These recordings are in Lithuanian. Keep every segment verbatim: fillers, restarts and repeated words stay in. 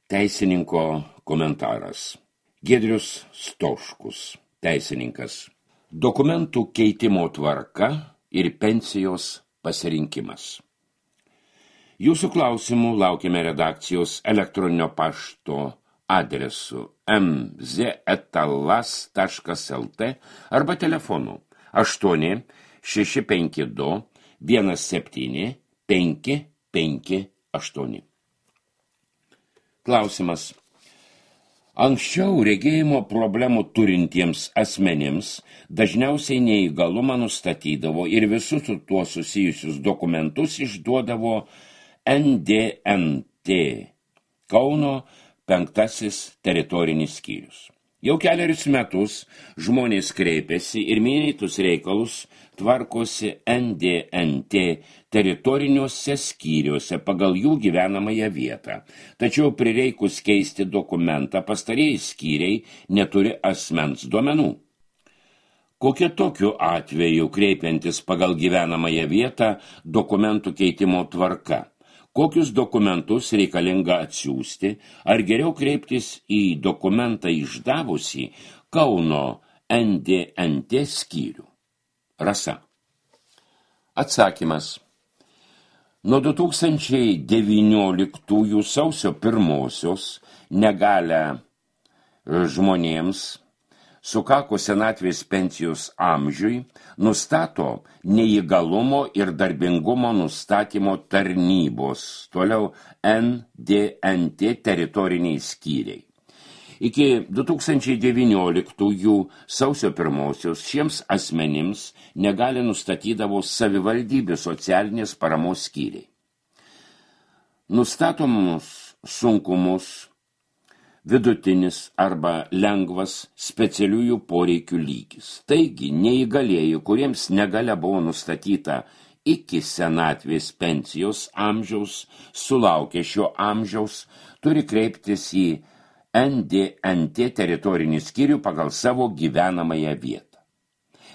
Teisininko komentaras. Giedrius Stoškus, teisininkas. Dokumentų keitimo tvarka ir pensijos pasirinkimas. Jūsų klausimų laukiame redakcijos elektroninio pašto adresu m z eta las taškas el t arba telefonu aštuoni šeši penki du vienas septyni penki penki aštuoni. Klausimas. Anksčiau regėjimo problemų turintiems asmenims dažniausiai neįgalumą nustatydavo ir visus su tuo susijusius dokumentus išduodavo N D N T Kauno penktasis teritorinis skyrius. Jau keliarius metus žmonės kreipiasi ir minėtus reikalus tvarkosi N D N T teritoriniuose skyriuose pagal jų gyvenamąją vietą. Tačiau prireikus keisti dokumentą pastarieji skyriai neturi asmens duomenų. Kokia tokiu atveju kreipiantis pagal gyvenamąją vietą dokumentų keitimo tvarka? Kokius dokumentus reikalinga atsiųsti, ar geriau kreiptis į dokumentą išdavusį Kauno N D N T skyrių? Rasa. Atsakymas. Nuo du tūkstančiai devynioliktųjų sausio pirmosios negalią žmonėms sukako senatvės pensijos amžiui nustato neįgalumo ir darbingumo nustatymo tarnybos, toliau N D N T teritoriniai skyriai. Iki du tūkstančiai devynioliktųjų sausio pirmosios šiems asmenims negali nustatydavo savivaldybių socialinės paramos skyriai. Nustatomus sunkumus vidutinis arba lengvas specialiųjų poreikių lygis. Taigi, neįgalieji, kuriems negalia buvo nustatyta iki senatvės pensijos amžiaus, sulaukę šio amžiaus, turi kreiptis į N D N T teritorinį skyrių pagal savo gyvenamąją vietą.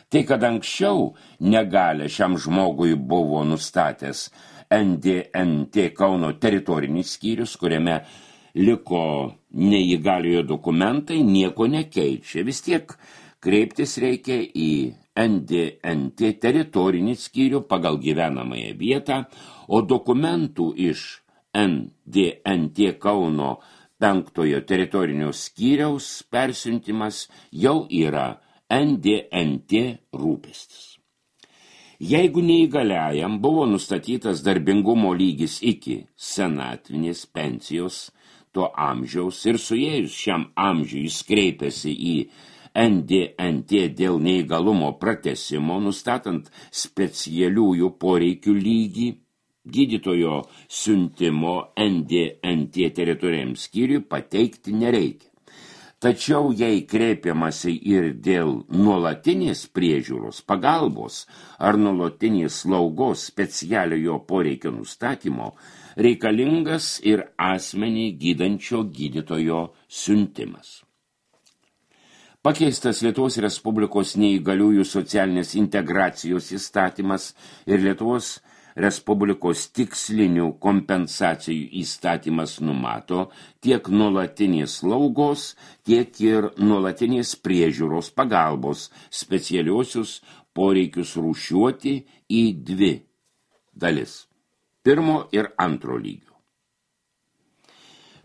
Tai, kad anksčiau negalę šiam žmogui buvo nustatęs N D N T Kauno teritorinis skyrius, kuriame liko neįgaliojo dokumentai, nieko nekeičia. Vis tiek kreiptis reikia į N D N T teritorinį skyrių pagal gyvenamąją vietą, o dokumentų iš N D N T Kauno penktojo teritorinio skyriaus persiuntimas jau yra N D N T rūpestis. Jeigu neįgaliajam buvo nustatytas darbingumo lygis iki senatvinės pensijos to amžiaus ir suėjus šiam amžiui jis kreipiasi į N D N T dėl neįgalumo pratęsimo, nustatant specialiųjų poreikių lygį, gydytojo siuntimo N D N T teritoriniam skyriui pateikti nereikia. Tačiau jei kreipiamasi ir dėl nuolatinės priežiūros, pagalbos ar nuolatinės slaugos specialiojo poreikio nustatymo, reikalingas ir asmenį gydančio gydytojo siuntimas. Pakeistas Lietuvos Respublikos neįgaliųjų socialinės integracijos įstatymas ir Lietuvos Respublikos tikslinių kompensacijų įstatymas numato tiek nuolatinės slaugos, tiek ir nuolatinės priežiūros pagalbos specialiosius poreikius rūšiuoti į dvi dalis. Pirmo ir antro lygio.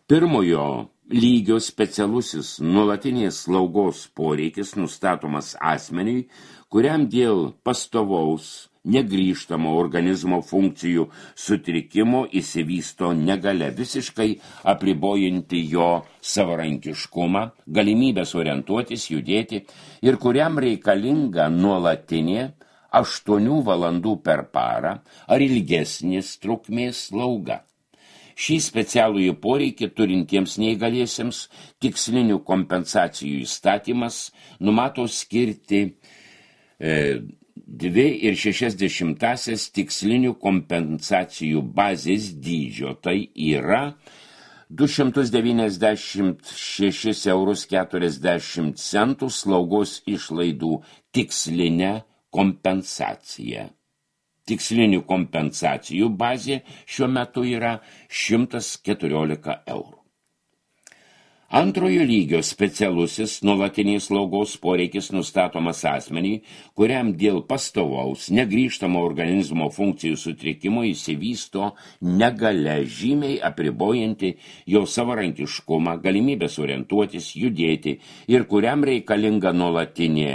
Pirmojo lygio specialusis nuolatinės slaugos poreikis nustatomas asmeniui, kuriam dėl pastovaus negrįžtamo organizmo funkcijų sutrikimo įsivysto negalia visiškai apribojanti jo savarankiškumą, galimybės orientuotis, judėti ir kuriam reikalinga nuolatinė aštuonių valandų per parą ar ilgesnės trukmės slauga. Šį specialųjį poreikį turintiems neįgaliesiems tikslinių kompensacijų įstatymas numato skirti e, dvi ir šešias dešimtasias tikslinių kompensacijų bazės dydžio. Tai yra du šimtus devyniasdešimt šešis eurus keturiasdešimt centų slaugos išlaidų tikslinę kompensaciją. Tikslinių kompensacijų bazė šiuo metu yra šimtas keturiolika eurų. Antrojo lygio specialusis nuolatinės slaugos poreikis nustatomas asmeniui, kuriam dėl pastovaus, negrįžtamo organizmo funkcijų sutrikimo įsivysto negalia žymiai apribojanti jo savarankiškumą, galimybės orientuotis, judėti ir kuriam reikalinga nuolatinė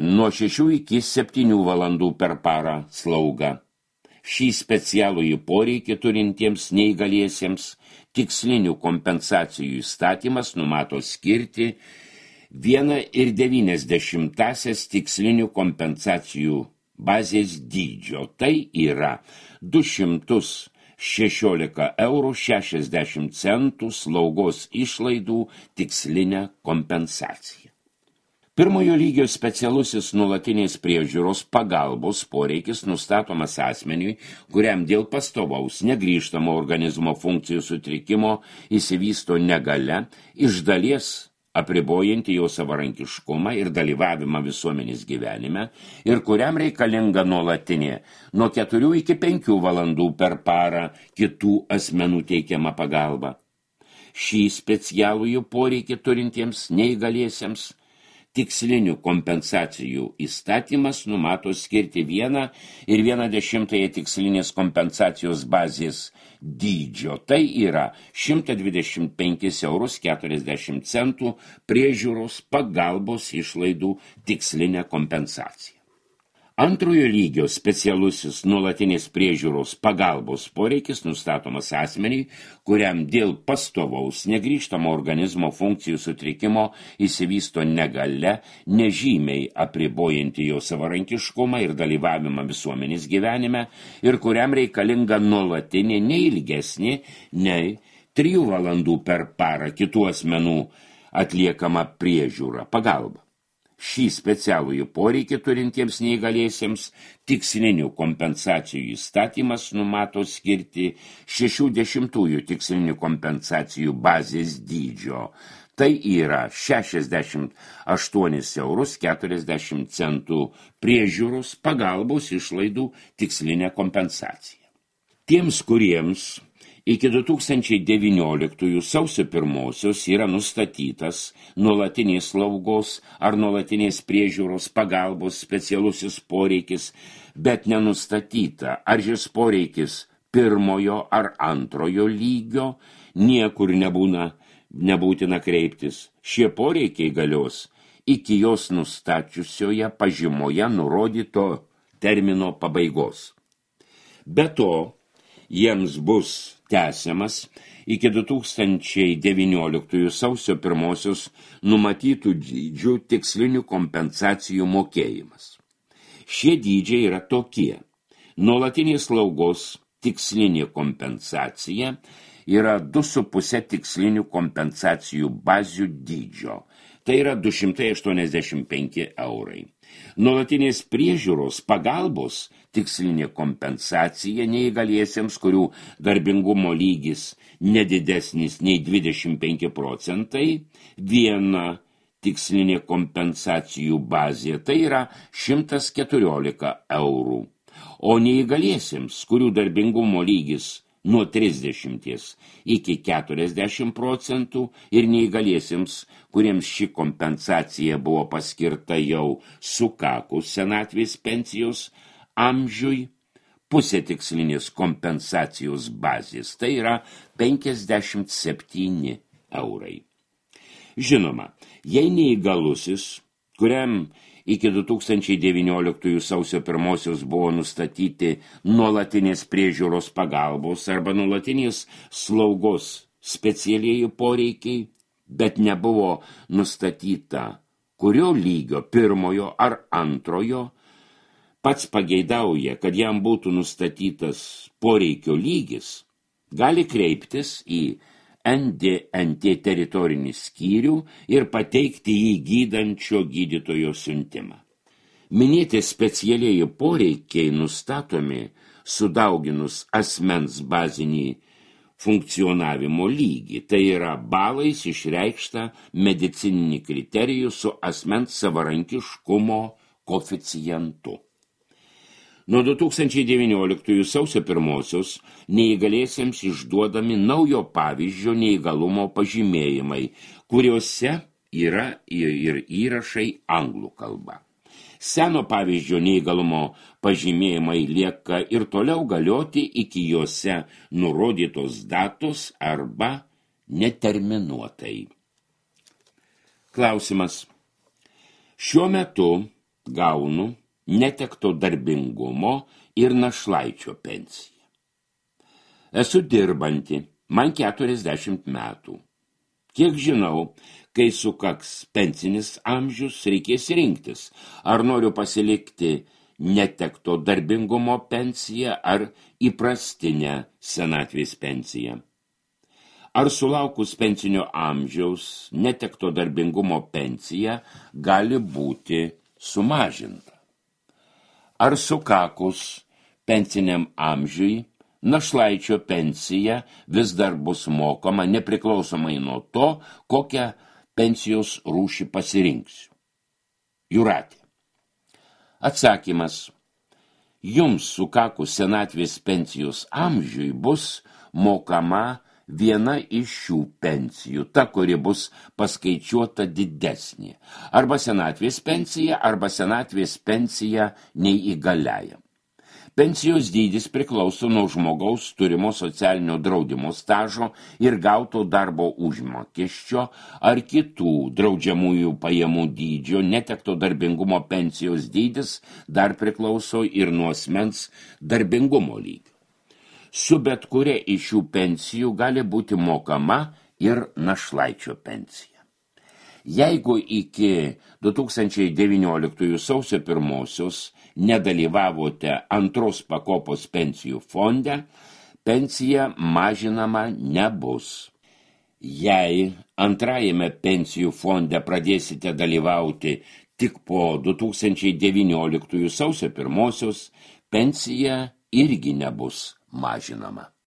nuo šešių iki septynių valandų per parą slauga. Šį specialųjį poreikį turintiems neįgaliesiems tikslinių kompensacijų įstatymas numato skirti vieną ir devynias dešimtąsias tikslinių kompensacijų bazės dydžio. Tai yra du šimtus šešiolika eurų šešiasdešimt centų slaugos išlaidų tikslinę kompensaciją. Pirmojo lygio specialusis nuolatinės priežiūros pagalbos poreikis nustatomas asmeniui, kuriam dėl pastovaus negrįžtamo organizmo funkcijų sutrikimo įsivysto negalia, iš dalies apribojanti jo savarankiškumą ir dalyvavimą visuomenės gyvenime ir kuriam reikalinga nuolatinė nuo keturių iki penkių valandų per parą kitų asmenų teikiama pagalba. Šį specialųjų poreikį turintiems neįgaliesiems tikslinių kompensacijų įstatymas numato skirti vieną ir vieną dešimtąją tikslinės kompensacijos bazės dydžio. Tai yra šimtą dvidešimt penkis eurus keturiasdešimt centų priežiūros pagalbos išlaidų tikslinę kompensaciją. Antrojo lygio specialusis nuolatinės priežiūros pagalbos poreikis nustatomas asmeniui, kuriam dėl pastovaus negrįžtamo organizmo funkcijų sutrikimo įsivysto negalia, nežymiai apribojanti jo savarankiškumą ir dalyvavimą visuomenės gyvenime ir kuriam reikalinga nuolatinė neilgesnė nei trijų valandų per parą kitų asmenų atliekama priežiūra pagalba. Šį specialųjų poreikį turintiems neįgaliesiems tikslinių kompensacijų įstatymas numato skirti šešių dešimtųjų tikslinių kompensacijų bazės dydžio. Tai yra šešiasdešimt aštuonis eurus keturiasdešimt centų priežiūros pagalbos išlaidų tikslinę kompensaciją. Tiems, kuriems iki du tūkstančiai devynioliktųjų sausio pirmosios yra nustatytas nuolatinės slaugos ar nuolatinės priežiūros pagalbos specialusis poreikis, bet nenustatyta, ar šis poreikis pirmojo ar antrojo lygio, niekur nebūna, nebūtina kreiptis. Šie poreikiai galios iki jos nustačiusioje pažymoje nurodyto termino pabaigos. Be to, jiems bus tęsiamas iki du tūkstančiai devynioliktųjų sausio pirmosios numatytų dydžių tikslinių kompensacijų mokėjimas. Šie dydžiai yra tokie. Nuolatinės slaugos tikslinė kompensacija yra du su puse tikslinių kompensacijų bazių dydžio. Tai yra du šimtai aštuoniasdešimt penki eurai. Nuolatinės priežiūros pagalbos tikslinė kompensacija neįgaliesiems, kurių darbingumo lygis nedidesnis nei dvidešimt penki procentai, viena tikslinė kompensacijų bazė, tai yra šimtas keturiolika eurų. O neįgaliesiems, kurių darbingumo lygis nuo trisdešimties iki keturiasdešimt procentų ir neįgaliesiems, kuriems ši kompensacija buvo paskirta jau sukakus senatvės pensijos amžiui, pusė tikslinės kompensacijos bazės, tai yra penkiasdešimt septyni eurai. Žinoma, jei neįgalusis, kuriam iki du tūkstančiai devynioliktųjų sausio pirmosios buvo nustatyti nuolatinės priežiūros pagalbos arba nuolatinės slaugos specialieji poreikiai, bet nebuvo nustatyta kurio lygio, pirmojo ar antrojo, pats pageidauja, kad jam būtų nustatytas poreikio lygis, gali kreiptis į N D N T teritorinį skyrių ir pateikti jį gydančio gydytojo siuntimą. Minėti specialieji poreikiai nustatomi sudauginus asmens bazinį funkcionavimo lygį, tai yra balais išreikšta medicininį kriterijų su asmens savarankiškumo koeficientu. Nuo du tūkstančiai devynioliktųjų sausio pirmosios neįgaliesiems išduodami naujo pavyzdžio neįgalumo pažymėjimai, kuriuose yra ir įrašai anglų kalba. Seno pavyzdžio neįgalumo pažymėjimai lieka ir toliau galioti iki juose nurodytos datos arba neterminuotai. Klausimas. Šiuo metu gaunu netekto darbingumo ir našlaičio pensiją. Esu dirbanti, man keturiasdešimt metų. Kiek žinau, kai sukaks pensinis amžius, reikės rinktis, ar noriu pasilikti netekto darbingumo pensiją ar įprastinę senatvės pensiją. Ar sulaukus pensinio amžiaus netekto darbingumo pensija gali būti sumažinta? Ar sukakus pensiniam amžiui našlaičio pensija vis dar bus mokama nepriklausomai nuo to, kokią pensijos rūšį pasirinksiu? Jūratė. Atsakymas. Jums sukakus senatvės pensijos amžiui bus mokama viena iš šių pensijų, ta, kuri bus paskaičiuota didesnė, arba senatvės pensija, arba senatvės pensija neįgaliajam. Pensijos dydis priklauso nuo žmogaus turimo socialinio draudimo stažo ir gauto darbo užmokesčio ar kitų draudžiamųjų pajamų dydžio. Netekto darbingumo pensijos dydis dar priklauso ir nuo asmens darbingumo lygio. Su bet kuria iš šių pensijų gali būti mokama ir našlaičio pensija. Jeigu iki du tūkstančiai devynioliktųjų sausio pirmosios nedalyvavote antros pakopos pensijų fonde, pensija mažinama nebus. Jei antrajame pensijų fonde pradėsite dalyvauti tik po du tūkstančiai devynioliktųjų sausio pirmosios, pensija irgi nebus mažinama.